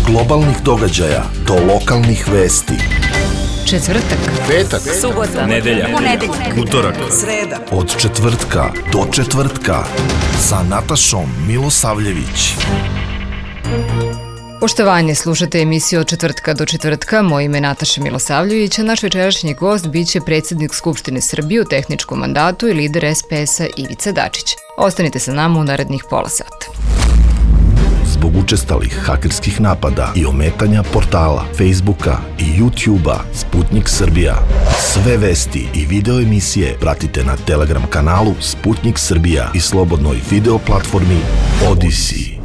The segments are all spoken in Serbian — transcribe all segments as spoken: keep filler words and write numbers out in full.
globalnih događaja do lokalnih vesti. Četvrtak, petak, subota, nedelja, ponedeljak, utorak, sreda. Od četvrtka do četvrtka sa Natašom Milosavljević. Poštovanje, slušate emisiju Od četvrtka do četvrtka. Moje ime je Nataša Milosavljević, a naš večerašnji gost biće predsjednik Skupštine Srbije u tehničkom mandatu i lider es pe es-a Ivica Dačić. Ostanite sa nama u narednih pola sata. Zbog učestalih hakerskih napada i ometanja portala, Facebooka i YouTubea Sputnik Srbija. Sve vesti i video emisije pratite na Telegram kanalu Sputnik Srbija i slobodnoj video platformi Odisi.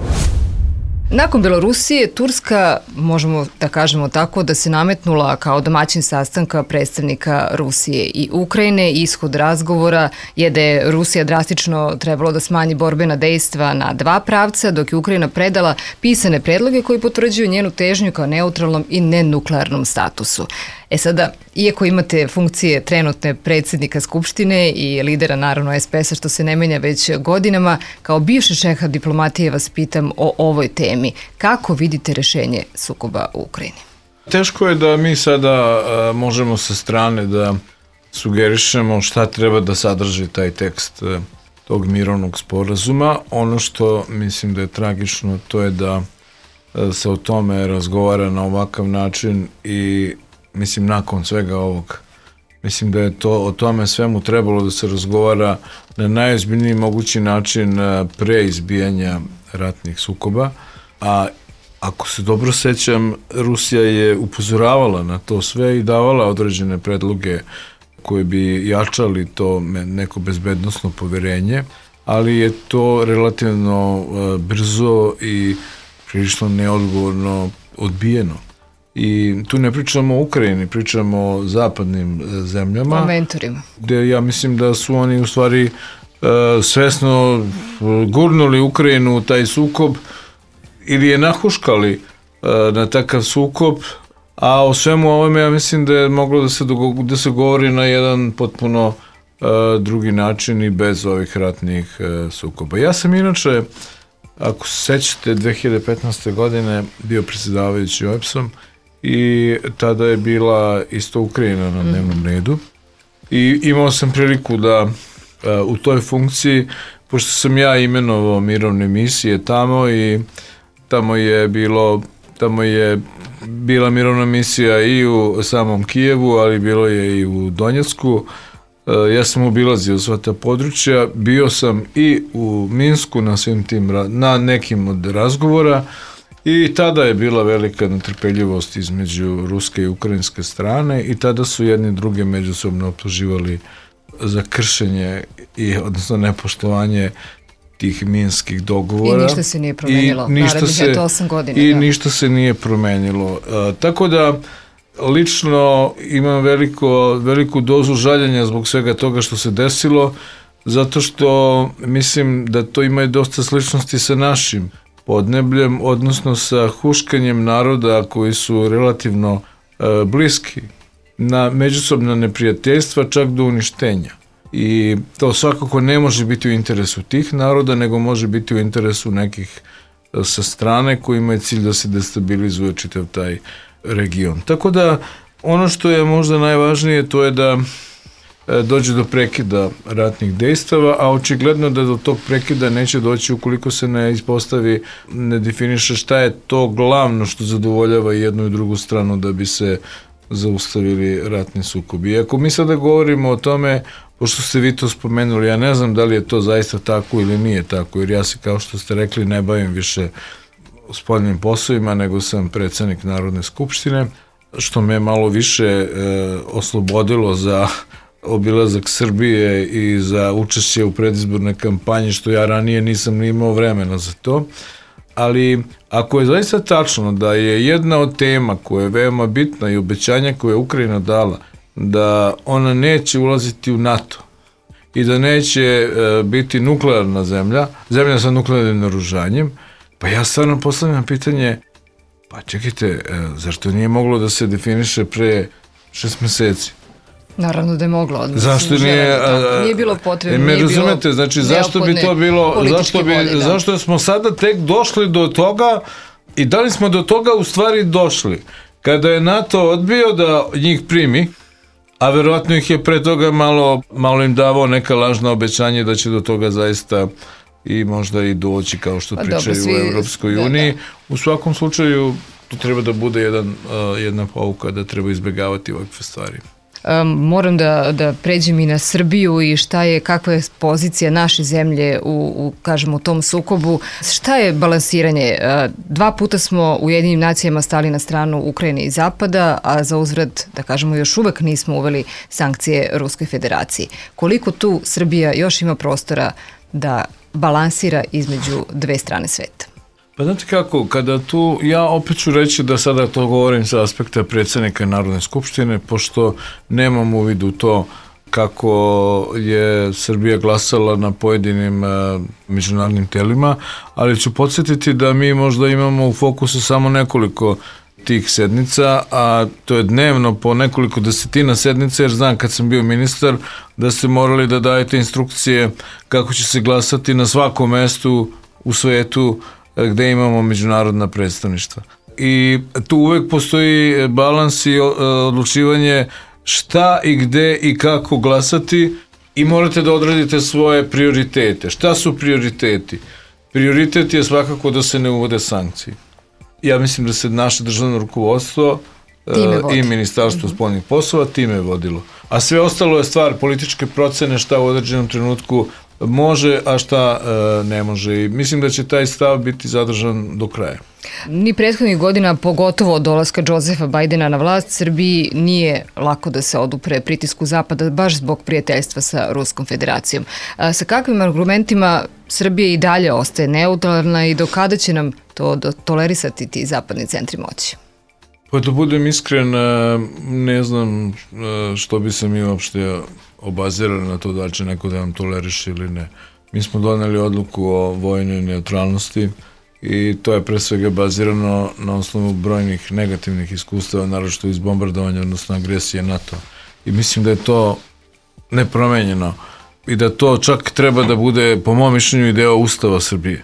Nakon Belorusije, Turska, možemo da kažemo tako, da se nametnula kao domaćin sastanka predstavnika Rusije i Ukrajine. Ishod razgovora je da je Rusija drastično trebalo da smanji borbena dejstva na dva pravca, dok je Ukrajina predala pisane predloge koji potvrđuju njenu težnju kao neutralnom i nenuklearnom statusu. E sada, iako imate funkcije trenutne predsjednika Skupštine i lidera naravno es pe es-a, što se ne menja već godinama, kao bivši šeha diplomatije vas pitam o ovoj temi. Kako vidite rešenje sukoba u Ukrajini? Teško je da mi sada a, možemo sa strane da sugerišemo šta treba da sadrži taj tekst a, tog mirovnog sporazuma. Ono što mislim da je tragično, to je da a, se o tome razgovara na ovakav način i mislim nakon svega ovog. Mislim da je to o tome svemu trebalo da se razgovara na najozbiljniji mogući način pre izbijanja ratnih sukoba. A ako se dobro sećam, Rusija je upozoravala na to sve i davala određene predloge koje bi jačali to neko bezbednosno poverenje, ali je to relativno brzo i prilično neodgovorno odbijeno. I tu ne pričamo o Ukrajini, pričamo o zapadnim zemljama. O mentorima. Gde ja mislim da su oni u stvari uh, svesno gurnuli Ukrajinu u taj sukob ili je nahuškali uh, na takav sukob, a o svemu ovome ja mislim da je moglo da se, dogo- da se govori na jedan potpuno uh, drugi način i bez ovih ratnih uh, sukoba. Ja sam inače, ako se sećate, dve hiljade petnaeste. godine bio predsjedavajući o e pe es-om i tada je bila isto Ukrajina na dnevnom redu i imao sam priliku da uh, u toj funkciji, pošto sam ja imenovao mirovne misije tamo i tamo je bilo tamo je bila mirovna misija i u samom Kijevu, ali bilo je i u Donjecku. Uh, ja sam obilazio sva ta područja, bio sam i u Minsku na svim tim, na nekim od razgovora. I tada je bila velika netrpeljivost između ruske i ukrajinske strane i tada su jedni druge međusobno optuživali za kršenje i odnosno nepoštovanje tih minskih dogovora. I ništa se nije promenilo. I ništa, se, osam godina, i da. ništa se nije promenilo. Uh, tako da lično imam veliko, veliku dozu žaljenja zbog svega toga što se desilo, zato što mislim da to ima i dosta sličnosti sa našim podnebljem, odnosno sa huškanjem naroda koji su relativno e, bliski na međusobna neprijateljstva, čak do uništenja. I to svakako ne može biti u interesu tih naroda, nego može biti u interesu nekih e, sa strane koji imaju cilj da se destabilizuje čitav taj region. Tako da ono što je možda najvažnije, to je da dođe do prekida ratnih dejstava, a očigledno da do tog prekida neće doći ukoliko se ne ispostavi, ne definiše šta je to glavno što zadovoljava jednu i drugu stranu da bi se zaustavili ratni sukobi. I ako mi sada govorimo o tome, pošto ste vi to spomenuli, ja ne znam da li je to zaista tako ili nije tako, jer ja se, kao što ste rekli, ne bavim više spoljnim poslovima, nego sam predsjednik Narodne skupštine, što me malo više e, oslobodilo za obilazak Srbije i za učešće u predizbornoj kampanji, što ja ranije nisam ni imao vremena za to. Ali ako je zaista tačno da je jedna od tema koja je veoma bitna i obećanja koje je Ukrajina dala, da ona neće ulaziti u NATO i da neće e, biti nuklearna zemlja, zemlja sa nuklearnim naoružanjem, pa ja stvarno postavljam pitanje, pa čekajte, e, zašto nije moglo da se definiše pre šest meseci? Naravno da je moglo. Zašto nije, da, nije bilo potrebno, me nije razumete, bilo znači zašto bi to bilo, zašto bi, volje, da. zašto smo sada tek došli do toga I da li smo do toga u stvari došli? Kada je NATO odbio da njih primi, a verovatno ih je pre toga malo, malo im davao neka lažna obećanje da će do toga zaista i možda i doći, kao što pričaju dobro, svi, u Evropskoj uniji. Da, da. U svakom slučaju, to treba da bude jedan, uh, jedna pouka da treba izbjegavati ovakve stvari. Um, moram da, da pređem i na Srbiju i šta je, kakva je pozicija naše zemlje u, u, kažemo, u tom sukobu. Šta je balansiranje? Uh, dva puta smo u Ujedinjenim nacijama stali na stranu Ukrajine i Zapada, a za uzvrat, da kažemo, još uvek nismo uveli sankcije Ruskoj federaciji. Koliko tu Srbija još ima prostora da balansira između dve strane sveta? Pa znate kako, kada tu, ja opet ću reći da sada to govorim sa aspekta predsjednika Narodne skupštine, pošto nemam uvid u to kako je Srbija glasala na pojedinim uh, međunarodnim telima, ali ću podsjetiti da mi možda imamo u fokusu samo nekoliko tih sednica, a to je dnevno po nekoliko desetina sednica, jer znam kad sam bio ministar da ste morali da dajete instrukcije kako će se glasati na svakom mestu u svetu gde imamo međunarodna predstavništva. I tu uvek postoji balans i odlučivanje šta i gde i kako glasati i morate da odradite svoje prioritete. Šta su prioriteti? Prioritet je svakako da se ne uvode sankcije. Ja mislim da se naše državno rukovodstvo i Ministarstvo spoljnih poslova time je vodilo. A sve ostalo je stvar političke procene šta u određenom trenutku može, a šta e, ne može. I mislim da će taj stav biti zadržan do kraja. Ni prethodnih godina, pogotovo od dolaska Josefa Bajdena na vlast, Srbiji nije lako da se odupre pritisku Zapada, baš zbog prijateljstva sa Ruskom federacijom. A sa kakvim argumentima Srbija i dalje ostaje neutralna i do kada će nam to tolerisati ti zapadni centri moći? Pa da budem iskren, ne znam što bi se mi uopšte obazirali na to da će neko da nam toleriše ili ne. Mi smo doneli odluku o vojnoj neutralnosti i to je pre svega bazirano na osnovu brojnih negativnih iskustava, naročito iz bombardovanja, odnosno agresije NATO. I mislim da je to nepromenjeno i da to čak treba da bude, po mom mišljenju, i deo Ustava Srbije.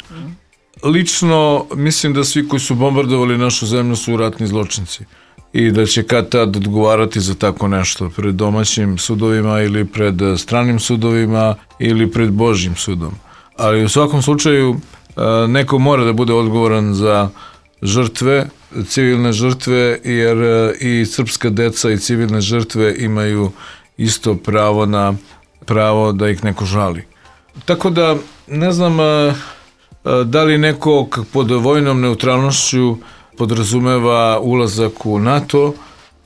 Lično mislim da svi koji su bombardovali našu zemlju su ratni zločinci i da će kad tad odgovarati za tako nešto pred domaćim sudovima ili pred stranim sudovima ili pred Božjim sudom. Ali u svakom slučaju neko mora da bude odgovoran za žrtve, civilne žrtve, jer i srpska deca i civilne žrtve imaju isto pravo na pravo da ih neko žali. Tako da ne znam da li neko pod vojnom neutralnošću podrazumeva ulazak u NATO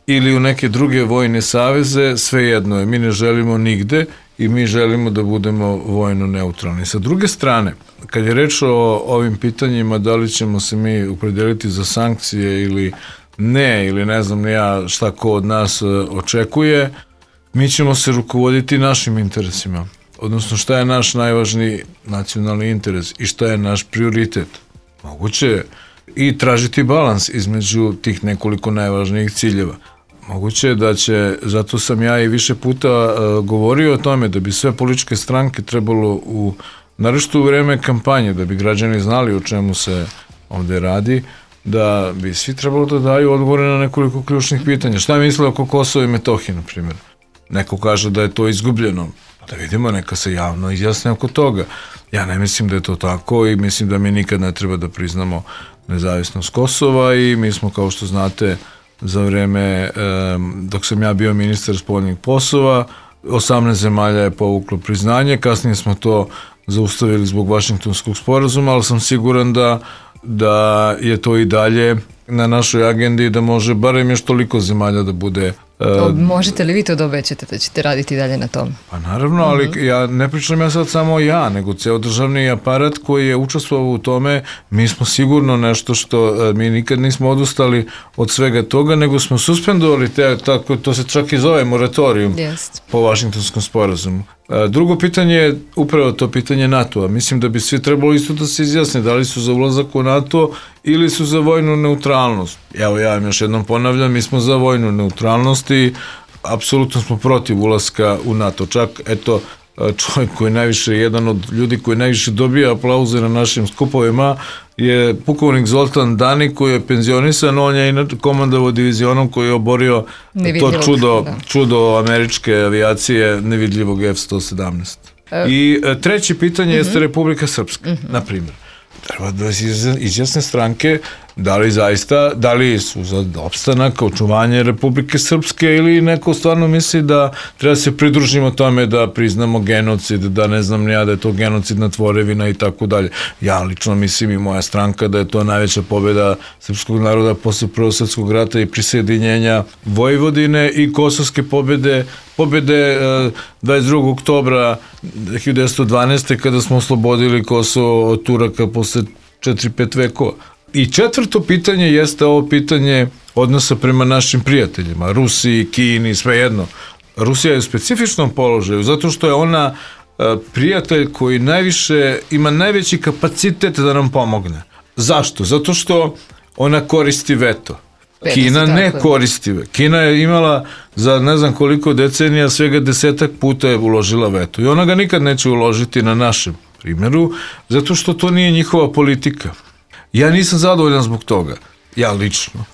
ili u neke druge vojne saveze, svejedno je. Mi ne želimo nigde i mi želimo da budemo vojno neutralni. Sa druge strane, kad je reč o ovim pitanjima, da li ćemo se mi opredeliti za sankcije ili ne, ili ne znam ja šta ko od nas očekuje, mi ćemo se rukovoditi našim interesima. Odnosno šta je naš najvažniji nacionalni interes i šta je naš prioritet. Moguće je i tražiti balans između tih nekoliko najvažnijih ciljeva. Moguće je da će, zato sam ja i više puta uh, govorio o tome da bi sve političke stranke trebalo u, naročito u vreme kampanje, da bi građani znali o čemu se ovde radi, da bi svi trebalo da daju odgovore na nekoliko ključnih pitanja. Šta misle oko Kosova i Metohije, na primjer? Neko kaže da je to izgubljeno. Da vidimo, neka se javno izjasne oko toga. Ja ne mislim da je to tako i mislim da mi nikad ne treba da priznamo nezavisnost Kosova i mi smo, kao što znate, za vreme, dok sam ja bio ministar spoljnih poslova, osamnaest zemalja je povuklo priznanje, kasnije smo to zaustavili zbog Vašingtonskog sporazuma, ali sam siguran da, da je to i dalje na našoj agendi, da može barem još toliko zemalja da bude. Uh, Možete li vi to da obećate da ćete raditi dalje na tom? Pa naravno, ali uh-huh. ja ne pričam ja sad samo ja, nego ceo državni aparat koji je učestvovao u tome. Mi smo sigurno nešto što uh, mi nikad nismo odustali od svega toga, nego smo suspendovali te, tako, to se čak i zove moratorijum yes. po Vašingtonskom sporazumu. Uh, drugo pitanje je upravo to pitanje NATO-a. Mislim da bi svi trebalo isto da se izjasne da li su za ulazak u NATO ili su za vojnu neutralnost. Evo ja vam još jednom ponavljam, mi smo za vojnu neutralnost i apsolutno smo protiv ulaska u NATO. Čak, eto, čovjek koji je najviše, jedan od ljudi koji najviše dobija aplauze na našim skupovima je pukovnik Zoltan Dani koji je penzionisan, on je i komandovao divizionom koji je oborio to čudo, da. čudo američke avijacije nevidljivog F sto sedamnaest. E. I treće pitanje uh-huh. jeste Republika Srpska, uh-huh. na primjer. Treba da izjasne stranke da li zaista, da li su za opstanak, očuvanje Republike Srpske ili neko stvarno misli da treba se pridružimo tome da priznamo genocid, da ne znam ja da je to genocidna tvorevina i tako dalje. Ja lično mislim i moja stranka da je to najveća pobjeda srpskog naroda posle Prvog svjetskog rata i prisjedinjenja Vojvodine i kosovske pobjede, pobjede dvadeset drugog oktobra hiljadu devetsto dvanaeste. kada smo oslobodili Kosovo od Turaka posle četiri pet vekova. I četvrto pitanje jeste ovo pitanje odnosa prema našim prijateljima, Rusiji, Kini, svejedno. Rusija je u specifičnom položaju zato što je ona prijatelj koji najviše, ima najveći kapacitet da nam pomogne. Zašto? Zato što ona koristi veto. Kina ne koristi. Kina je imala za ne znam koliko decenija svega desetak puta je uložila veto i ona ga nikad neće uložiti na našem primjeru zato što to nije njihova politika. Ja nisam zadovoljan zbog toga, ja lično,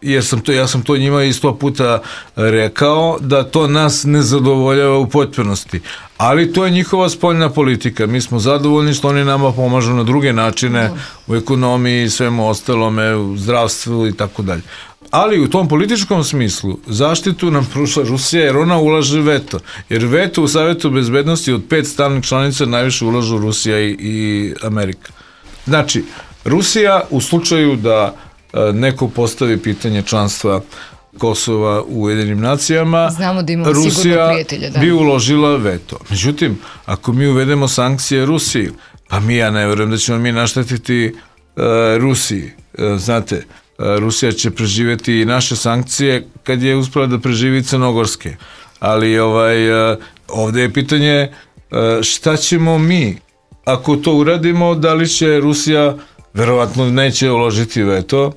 jer sam to, ja sam to njima i sto puta rekao da to nas ne zadovoljava u potpunosti, ali to je njihova spoljna politika, mi smo zadovoljni što oni nama pomažu na druge načine u ekonomiji, svemu ostalome, u zdravstvu i tako dalje. Ali u tom političkom smislu zaštitu nam pruža Rusija jer ona ulaže veto. Jer veto u Savjetu bezbednosti od pet stalnih članica najviše ulažu Rusija i, i Amerika. Znači, Rusija u slučaju da neko postavi pitanje članstva Kosova u Ujedinjenim nacijama, znamo da imamo Rusija prijatelja, da. bi uložila veto. Međutim, ako mi uvedemo sankcije Rusiji, pa mi ja ne vjerujem da ćemo mi naštetiti uh, Rusiji. Uh, znate, uh, Rusija će preživjeti i naše sankcije kad je uspela da preživi crnogorske. Ali ovaj, uh, ovdje je pitanje uh, šta ćemo mi ako to uradimo, da li će Rusija verovatno neće uložiti veto,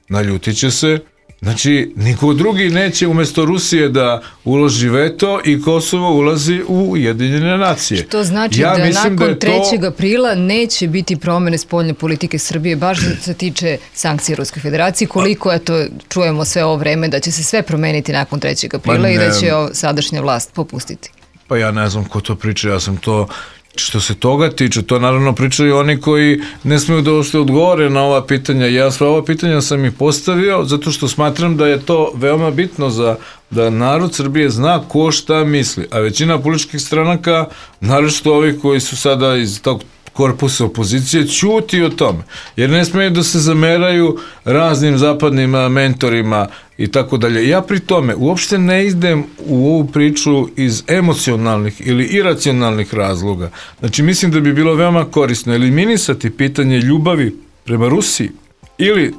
naljutit će se. Znači, niko drugi neće umjesto Rusije da uloži veto i Kosovo ulazi u Ujedinjene nacije. Što znači ja da nakon da trećeg to... aprila neće biti promjene spoljne politike Srbije, baš da se tiče sankcije Ruske federacije, koliko eto, čujemo sve ovo vreme da će se sve promeniti nakon trećeg aprila i da će sadašnja vlast popustiti. Pa ja ne znam ko to priča, ja sam to... Što se toga tiče, to naravno pričaju oni koji ne smiju da uopšte odgovore na ova pitanja. Ja sva ova pitanja sam i postavio zato što smatram da je to veoma bitno za da narod Srbije zna ko šta misli. A većina političkih stranaka, naročito ovi koji su sada iz tog korpusa opozicije, ćuti o tome. Jer ne smiju da se zameraju raznim zapadnim mentorima i tako dalje. Ja pri tome uopšte ne idem u ovu priču iz emocionalnih ili iracionalnih razloga. Znači, mislim da bi bilo veoma korisno eliminisati pitanje ljubavi prema Rusiji ili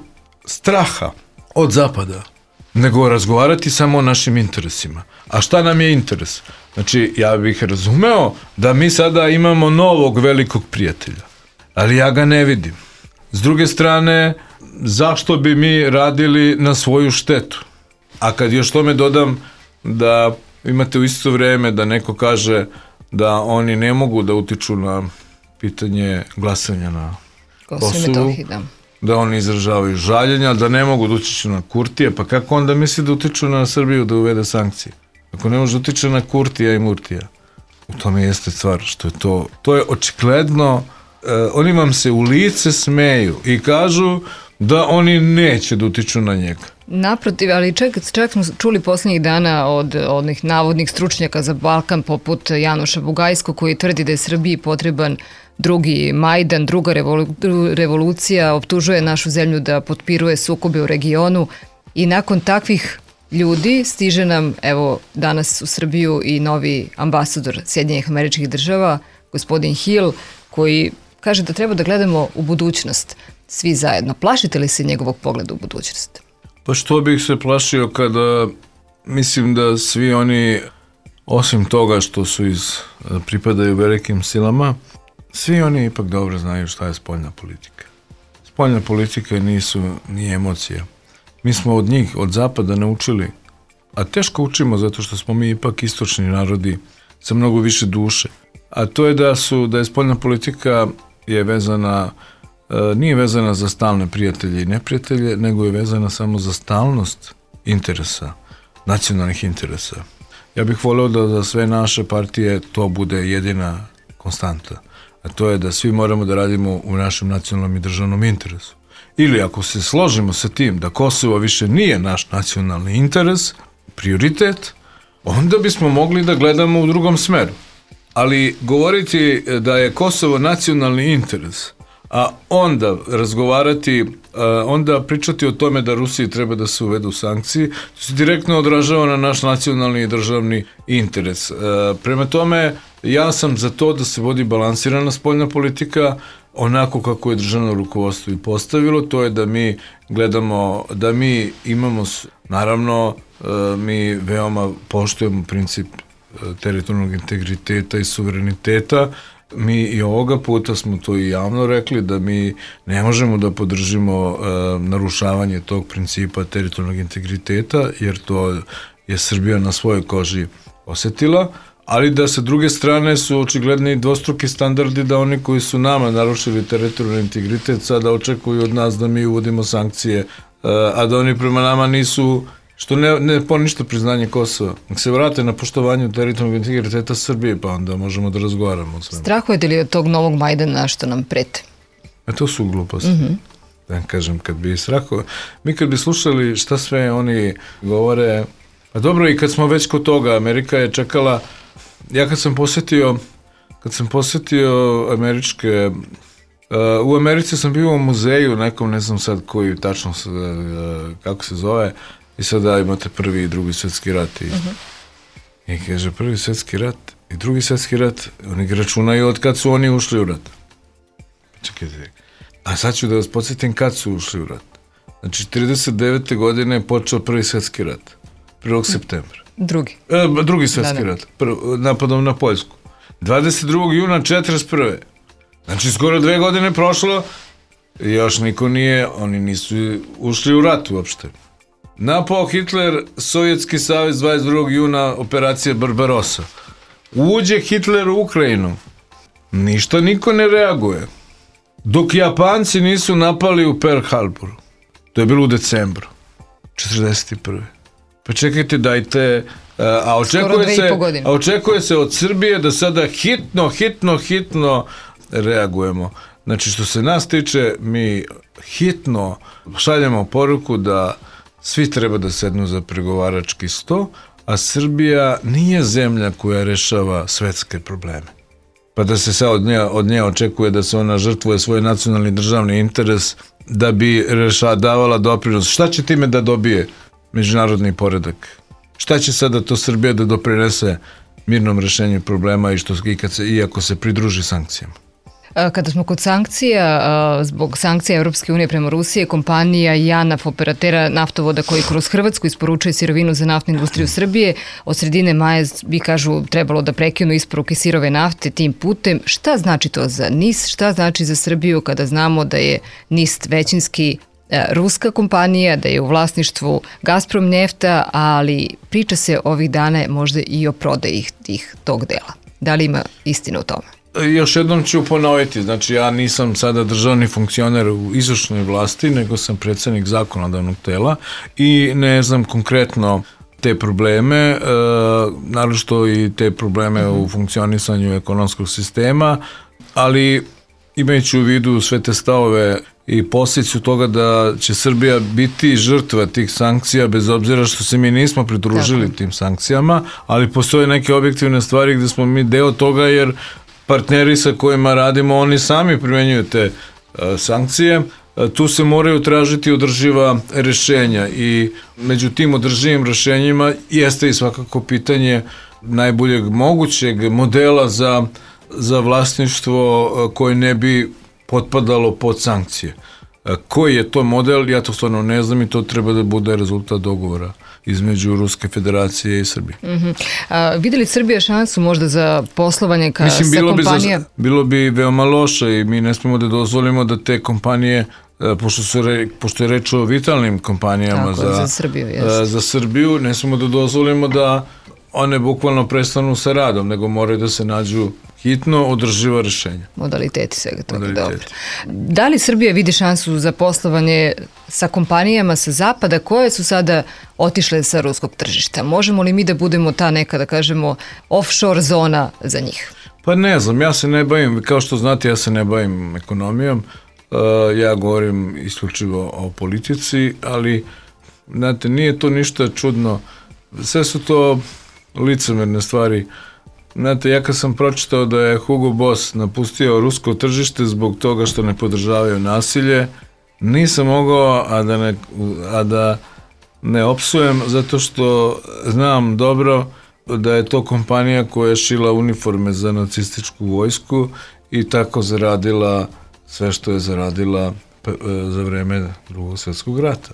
straha od zapada, nego razgovarati samo o našim interesima. A šta nam je interes? Znači, ja bih razumeo da mi sada imamo novog velikog prijatelja, ali ja ga ne vidim. S druge strane, zašto bi mi radili na svoju štetu? A kad još tome dodam da imate u isto vrijeme da neko kaže da oni ne mogu da utiču na pitanje glasanja na Kosovu, da oni izražavaju žaljenja, da ne mogu da utiču na Kurtija, pa kako onda misli da utiču na Srbiju da uvede sankcije? Ako ne može utiče na Kurtija i Murtija, u tome jeste stvar, što je to, to je očigledno, eh, oni vam se u lice smeju i kažu da oni neće da utiču na njega. Naprotiv, ali čak, čak smo čuli posljednjih dana od onih navodnih stručnjaka za Balkan poput Janoša Bugajskog koji tvrdi da je Srbiji potreban drugi Majdan, druga revolu, revolucija, optužuje našu zemlju da potpiruje sukobe u regionu i nakon takvih ljudi stiže nam, evo, danas u Srbiju i novi ambasador Sjedinjenih Američkih Država, gospodin Hill, koji kaže da treba da gledamo u budućnost svi zajedno. Plašite li se njegovog pogleda u budućnost? Pa što bih se plašio kada mislim da svi oni, osim toga što su iz, pripadaju velikim silama, svi oni ipak dobro znaju šta je spoljna politika. Spoljna politika nisu ni emocija. Mi smo od njih, od zapada naučili, a teško učimo zato što smo mi ipak istočni narodi sa mnogo više duše. a to je da su da je spoljna politika je vezana, nije vezana za stalne prijatelje i neprijatelje, nego je vezana samo za stalnost interesa, nacionalnih interesa. Ja bih voleo da za sve naše partije to bude jedina konstanta, a to je da svi moramo da radimo u našem nacionalnom i državnom interesu. Ili ako se složimo sa tim da Kosovo više nije naš nacionalni interes, prioritet, onda bismo mogli da gledamo u drugom smeru. Ali govoriti da je Kosovo nacionalni interes, a onda razgovarati, onda pričati o tome da Rusiji treba da se uvedu sankcije, to se direktno odražava na naš nacionalni i državni interes. Prema tome, ja sam za to da se vodi balansirana spoljna politika, onako kako je državno rukovodstvo i postavilo, to je da mi gledamo, da mi imamo, naravno, mi veoma poštujemo princip teritorijalnog integriteta i suvereniteta. Mi i ovoga puta smo to i javno rekli da mi ne možemo da podržimo uh, narušavanje tog principa teritorijalnog integriteta, jer to je Srbija na svojoj koži osetila, ali da sa druge strane su očigledni dvostruki standardi da oni koji su nama narušili teritorijalni integritet sada očekuju od nas da mi uvodimo sankcije, uh, a da oni prema nama nisu, što ne, ne poništa priznanje Kosova. Nek se vrate na poštovanju teritorijalnog integriteta Srbije, pa onda možemo da razgovaramo o svemu. Strahujete li od tog novog Majdana što nam prete? A to su gluposti. Mm-hmm. Da kažem, kad bi strahao, mi kad bi slušali šta sve oni govore, a dobro, i kad smo već kod toga, Amerika je čekala, ja kad sam posetio, kad sam posetio američke, uh, u Americi sam bio u muzeju, nekom, ne znam sad koji tačno, uh, kako se zove, i sada imate prvi i drugi svjetski rat i, uh-huh. i kaže prvi svjetski rat i drugi svjetski rat, oni ga računaju od kad su oni ušli u rat. Čekajte, a sad ću da vas podsjetim kad su ušli u rat. Znači, trideset devete godine je počeo prvi svjetski rat, prvog septembra. Drugi. E, drugi svjetski da, da. rat, prv, napadom na Poljsku. dvadeset drugog juna četrdeset prve. Znači, skoro dve godine prošlo i još niko nije, oni nisu ušli u rat uopšte. Napao Hitler Sovjetski savez dvadeset drugog juna, operacija Barbarossa. Uđe Hitler u Ukrajinu. Ništa niko ne reaguje. Dok Japanci nisu napali u Pearl Harboru. To je bilo u decembru četrdeset prve. Pa čekajte, dajte... A očekuje, se, a očekuje se od Srbije da sada hitno, hitno, hitno reagujemo. Znači, što se nas tiče, mi hitno šaljemo poruku da svi treba da sednu za pregovarački sto, a Srbija nije zemlja koja rešava svetske probleme. Pa da se sad od nje, od nje očekuje da se ona žrtvuje svoj nacionalni državni interes da bi reša, davala doprinos. Šta će time da dobije međunarodni poredak? Šta će sada to Srbija da doprinese mirnom rešenju problema i što i kad se, iako se pridruži sankcijama? Kada smo kod sankcija, zbog sankcija Europske unije prema Rusije, kompanija JANAF, operatera naftovoda koji kroz Hrvatsku isporučuje sirovinu za naftnu industriju Srbije, od sredine maja bi, kažu, trebalo da prekinu isporuke sirove nafte tim putem. Šta znači to za N I S? Šta znači za Srbiju kada znamo da je N I S većinski ruska kompanija, da je u vlasništvu Gazprom Nefta, ali priča se ovih dana možda i o prodaji tih tog dela. Da li ima istina o tome? Još jednom ću ponoviti, znači ja nisam sada državni funkcioner u izvršnoj vlasti, nego sam predsjednik zakonodavnog tela i ne znam konkretno te probleme, e, naročito i te probleme mm-hmm. u funkcionisanju ekonomskog sistema, ali imajući u vidu sve te stavove i posljedicu toga da će Srbija biti žrtva tih sankcija, bez obzira što se mi nismo pridružili Tako. tim sankcijama, ali postoje neke objektivne stvari gde smo mi deo toga, jer partneri sa kojima radimo, oni sami primjenjuju te uh, sankcije. Uh, tu se moraju tražiti održiva rešenja i među tim održivim rešenjima jeste i svakako pitanje najboljeg mogućeg modela za, za vlasništvo uh, koje ne bi potpadalo pod sankcije. Uh, koji je to model, ja to stvarno ne znam i to treba da bude rezultat dogovora između Ruske federacije i Srbije. Mm-hmm. A, vidi li Srbija šansu možda za poslovanje ka, Mislim, sa kompanija? Bi za, bilo bi veoma loše i mi ne smemo da dozvolimo da te kompanije, pošto, su re, pošto je reč o vitalnim kompanijama Tako, za, za, Srbiju, za Srbiju, ne smemo da dozvolimo da one bukvalno prestanu sa radom, nego moraju da se nađu hitno održiva rešenja. Modaliteti svega toga, dobro. Da li Srbija vidi šansu za poslovanje sa kompanijama sa zapada koje su sada otišle sa ruskog tržišta? Možemo li mi da budemo ta neka, da kažemo, offshore zona za njih? Pa ne znam, ja se ne bavim, kao što znate, ja se ne bavim ekonomijom, uh, ja govorim isključivo o politici, ali, znate, nije to ništa čudno. Sve su to licemerne stvari. Znate, ja kad sam pročitao da je Hugo Boss napustio rusko tržište zbog toga što ne podržavaju nasilje, nisam mogao, a da ne, a da ne opsujem, zato što znam dobro da je to kompanija koja je šila uniforme za nacističku vojsku i tako zaradila sve što je zaradila za vreme Drugog svjetskog rata.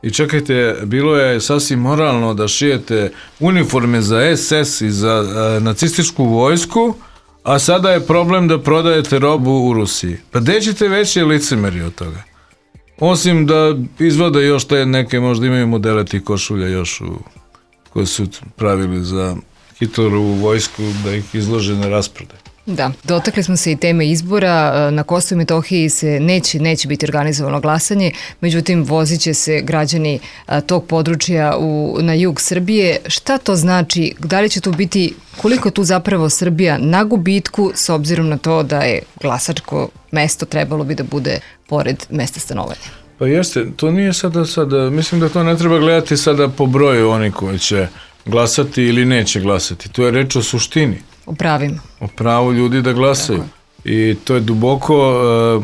I čekajte, bilo je sasvim moralno da šijete uniforme za es es i za a, nacističku vojsku, a sada je problem da prodajete robu u Rusiji. Pa gde ćete veće licemeri od toga? Osim da izvode još te neke, možda imaju modele tih košulja još u, koje su pravili za Hitlerovu vojsku da ih izlože na rasprodaj. Da, dotakli smo se i teme izbora. Na Kosovu i Metohiji se neće, neće biti organizovano glasanje, međutim vozit će se građani tog područja u, na jug Srbije. Šta to znači? Da li će tu biti, koliko tu zapravo Srbija na gubitku s obzirom na to da je glasačko mesto trebalo bi da bude pored mesta stanovanja? Pa jeste, to nije sada, sada, mislim da to ne treba gledati sada po broju oni koji će glasati ili neće glasati. To je reč o suštini. O pravima. O pravu ljudi da glasaju. Tako. I to je duboko uh,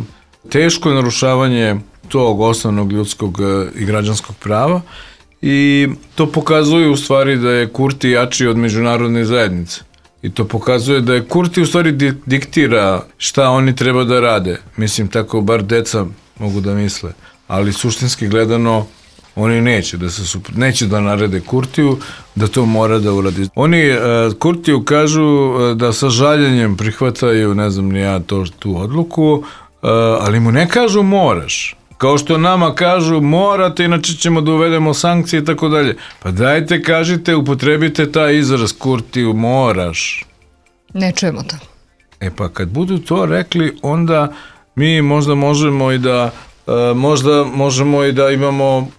teško narušavanje tog osnovnog ljudskog uh, i građanskog prava i to pokazuje u stvari da je Kurti jači od međunarodne zajednice. I to pokazuje da je Kurti u stvari di- diktira šta oni treba da rade. Mislim, tako bar deca mogu da misle. Ali suštinski gledano oni neće da se supr... neće da narede Kurtiju da to mora da uradi. Oni uh, Kurtiju kažu uh, da sa žaljenjem prihvataju, ne znam ni ja to, tu odluku, uh, ali mu ne kažu moraš. Kao što nama kažu morate, inače ćemo da uvedemo sankcije i tako dalje. Pa dajte, kažite, upotrebite taj izraz Kurtiju, moraš. Ne čujemo to. E pa kad budu to rekli, onda mi možda možemo i da uh, možda možemo i da imamo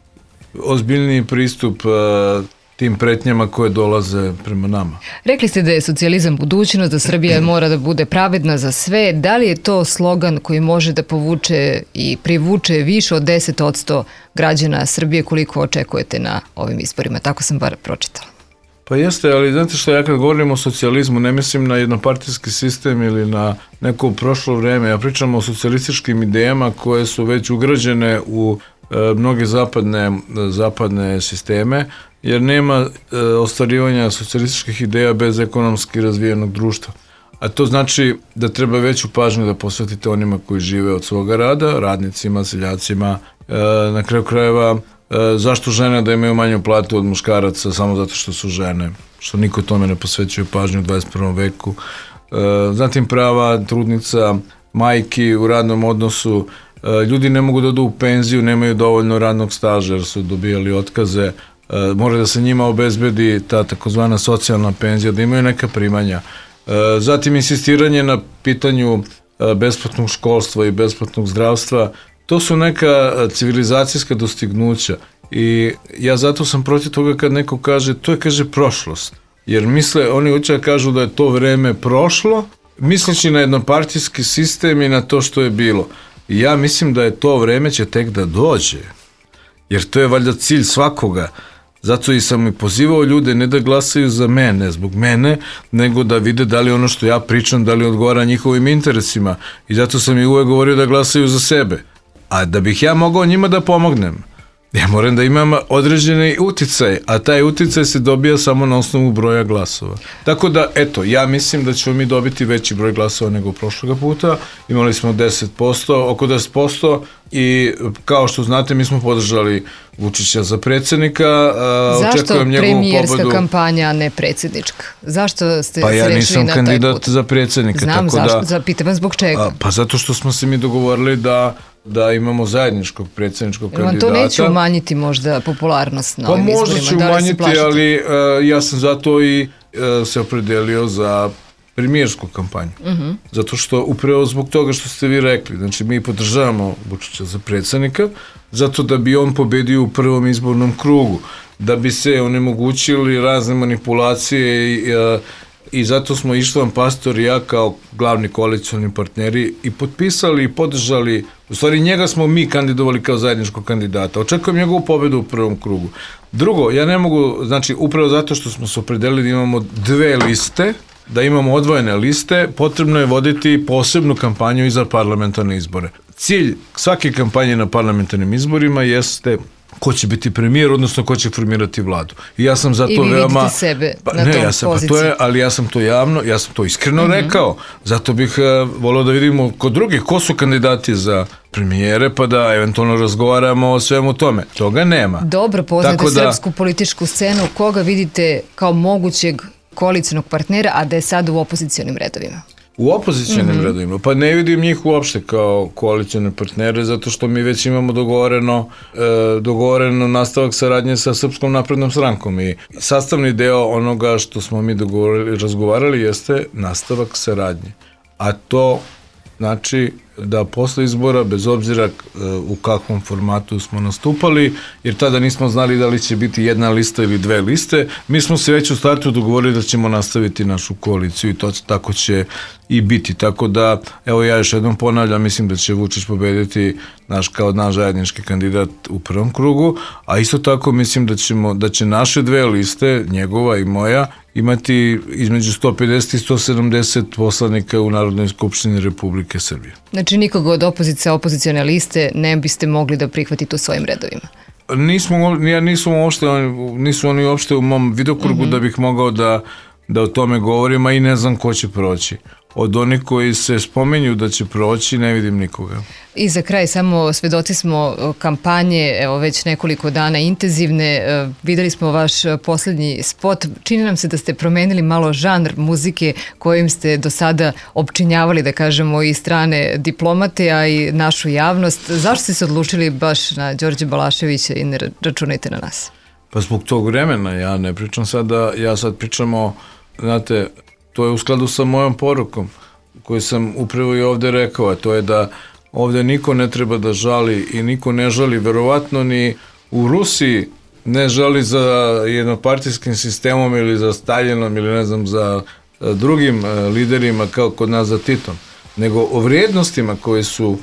ozbiljniji pristup uh, tim pretnjama koje dolaze prema nama. Rekli ste da je socijalizam budućnost, da Srbija mora da bude pravedna za sve. Da li je to slogan koji može da povuče i privuče više od deset posto građana Srbije koliko očekujete na ovim izborima? Tako sam bar pročitala. Pa jeste, ali znate što, ja kad govorim o socijalizmu ne mislim na jednopartijski sistem ili na neko prošlo vreme. Ja pričam o socijalističkim idejama koje su već ugrađene u mnoge zapadne, zapadne sisteme, jer nema e, ostvarivanja socijalističkih ideja bez ekonomski razvijenog društva. A to znači da treba veću pažnju da posvetite onima koji žive od svoga rada, radnicima, seljacima, e, na kraju krajeva, e, zašto žene da imaju manju platu od muškaraca samo zato što su žene, što niko tome ne posvećuje pažnju u dvadeset prvom veku. E, zatim prava trudnica, majki u radnom odnosu, ljudi ne mogu da odu u penziju, nemaju dovoljno radnog staža jer su dobijali otkaze, mora da se njima obezbedi ta takozvana socijalna penzija, da imaju neka primanja. Zatim insistiranje na pitanju besplatnog školstva i besplatnog zdravstva, to su neka civilizacijska dostignuća i ja zato sam protiv toga kad neko kaže, to je, kaže, prošlost, jer misle, oni hoće da kažu da je to vreme prošlo, misleći na jednopartijski sistem i na to što je bilo. I ja mislim da je to vreme će tek da dođe, jer to je valjda cilj svakoga. Zato i sam i pozivao ljude ne da glasaju za mene, zbog mene, nego da vide da li ono što ja pričam, da li odgovara njihovim interesima. I zato sam i uvek govorio da glasaju za sebe. A da bih ja mogao njima da pomognem, ja moram da imam određeni uticaj, a taj uticaj se dobija samo na osnovu broja glasova. Tako da, eto, ja mislim da ćemo mi dobiti veći broj glasova nego prošloga puta. Imali smo deset posto, oko deset posto i kao što znate, mi smo podržali Vučića za predsjednika. Zašto premijerska pobedu. Kampanja, a ne predsjednička? Zašto ste pa se ja rešili na taj put? Pa ja nisam kandidat za predsjednika. Znam, tako zašto, da, zapitam vas zbog čega? A, pa zato što smo se mi dogovorili da da imamo zajedničkog predsjedničkog Jer kandidata. Vam to neće umanjiti možda popularnost na pa ovim izborima? Možda će da umanjiti, ali uh, ja sam zato i uh, se opredelio za premijersku kampanju. Uh-huh. Zato što upravo zbog toga što ste vi rekli, znači mi podržavamo Vučića za predsjednika, zato da bi on pobedio u prvom izbornom krugu, da bi se onemogućili razne manipulacije i, i zato smo Ištvan Pastor i ja kao glavni koalicioni partneri i potpisali i podržali, u stvari njega smo mi kandidovali kao zajedničkog kandidata. Očekujem njegovu pobedu u prvom krugu. Drugo, ja ne mogu, znači upravo zato što smo se opredelili da imamo dve liste, da imamo odvojene liste, potrebno je voditi posebnu kampanju i za parlamentarne izbore. Cilj svake kampanje na parlamentarnim izborima jeste ko će biti premijer, odnosno ko će formirati vladu. I ja sam zato veoma... I vi veoma, vidite sebe pa, na ne, tom ja sam, poziciji. Pa to je, ali ja sam to javno, ja sam to iskreno mm-hmm. rekao. Zato bih uh, volio da vidimo kod drugih ko su kandidati za premijere, pa da eventualno razgovaramo o svemu tome. Toga nema. Dobro, poznate da, srpsku političku scenu. Koga vidite kao mogućeg koalicionog partnera, a da je sad u opozicijonim redovima? U opozicijonim mm-hmm. redovima? Pa ne vidim njih uopšte kao koalicijone partnere, zato što mi već imamo dogovoreno, e, dogovoreno nastavak saradnje sa Srpskom naprednom strankom i sastavni deo onoga što smo mi dogovorili, razgovarali jeste nastavak saradnje. A to znači da posle izbora, bez obzira u kakvom formatu smo nastupali, jer tada nismo znali da li će biti jedna lista ili dve liste, mi smo se već u startu dogovorili da ćemo nastaviti našu koaliciju i to tako će i biti. Tako da, evo ja još jednom ponavljam, mislim da će Vučić pobediti naš kao naš zajednički kandidat u prvom krugu, a isto tako mislim da ćemo, da će naše dve liste, njegova i moja, imati između sto pedeset i sto sedamdeset poslanika u Narodnoj skupštini Republike Srbije. Znači nikoga od opozicija, opozicione liste ne biste mogli da prihvatite u svojim redovima? Nismo, ja nisam uopšte, nisu oni uopšte u mom vidokrugu mm-hmm. da bih mogao da, da o tome govorim, a i ne znam ko će proći. Od onih koji se spomenju da će proći, ne vidim nikoga. I za kraj, samo svedoci smo kampanje, evo već nekoliko dana intenzivne, videli smo vaš posljednji spot, čini nam se da ste promenili malo žanr muzike kojim ste do sada opčinjavali, da kažemo, i strane diplomate, a i našu javnost. Zašto ste se odlučili baš na Đorđe Balaševića i ne računajte na nas? Pa zbog tog vremena, ja ne pričam sada, ja sad pričam o, znate, to je u skladu sa mojom porukom koju sam upravo i ovde rekao, a to je da ovde niko ne treba da žali i niko ne žali, verovatno ni u Rusiji ne žali za jednopartijskim sistemom ili za Staljinom ili ne znam za drugim liderima kao kod nas za Titom, nego o vrijednostima koje su,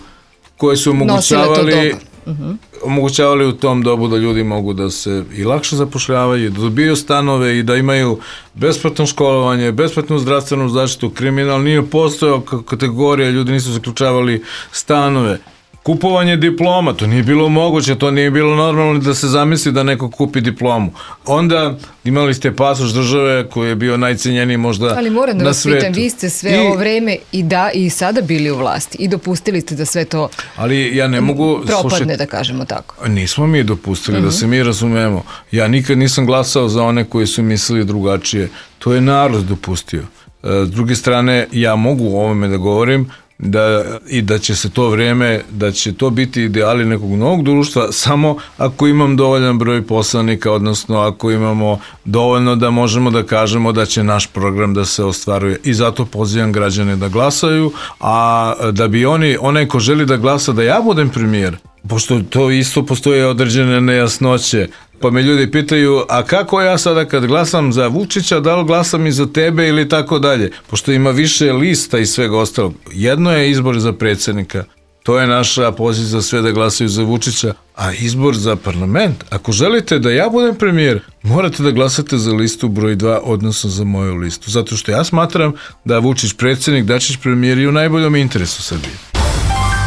koje su omogućavali Uh-huh. omogućavali u tom dobu da ljudi mogu da se i lakše zapošljavaju, da dobiju stanove i da imaju besplatno školovanje, besplatnu zdravstvenu zaštitu. Kriminal nije postojao kategorija, ljudi nisu zaključavali stanove. Kupovanje diploma, to nije bilo moguće, to nije bilo normalno da se zamisli da neko kupi diplomu. Onda imali ste pasoš države koji je bio najcenjeniji možda na svetu. Ali moram da vas pitam, vi ste sve I, ovo vreme i da i sada bili u vlasti i dopustili ste da sve to ali ja ne mogu, propadne, slušati, da kažemo tako. Nismo mi dopustili, uh-huh. da se mi razumemo. Ja nikad nisam glasao za one koji su mislili drugačije. To je narod dopustio. S druge strane, ja mogu o ovome da govorim, da, i da će se to vreme, da će to biti ideali nekog novog društva samo ako imam dovoljan broj poslanika, odnosno ako imamo dovoljno da možemo da kažemo da će naš program da se ostvaruje. I zato pozivam građane da glasaju, a da bi oni, onaj ko želi da glasa da ja budem premijer, pošto to isto postoje određene nejasnoće, pa me ljudi pitaju, a kako ja sada kad glasam za Vučića, da li glasam i za tebe ili tako dalje, pošto ima više lista i svega ostalog. Jedno je izbor za predsjednika, to je naša poziv za sve da glasaju za Vučića, a izbor za parlament, ako želite da ja budem premijer, morate da glasate za listu broj dva, odnosno za moju listu, zato što ja smatram da Vučić predsjednik, Dačić premijer i u najboljom interesu Srbije.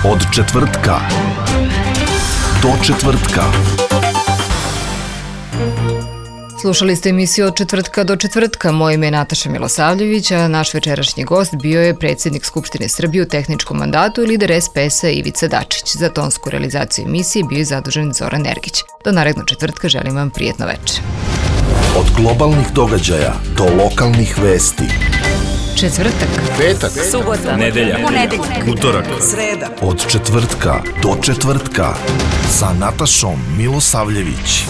Od četvrtka do četvrtka. Slušali ste emisiju Od četvrtka do četvrtka. Moje ime je Nataša Milosavljević, a naš večerašnji gost bio je predsjednik Skupštine Srbije u tehničkom mandatu i lider es pe es-a Ivica Dačić. Za tonsku realizaciju emisije bio je zadužen Zoran Ergić. Do narednog četvrtka želim vam prijetno večer. Od globalnih događaja do lokalnih vesti. Četvrtak, petak, subota, nedelja, ponedeljak, utorak, sreda. Od četvrtka do četvrtka sa Natašom Milosavljević.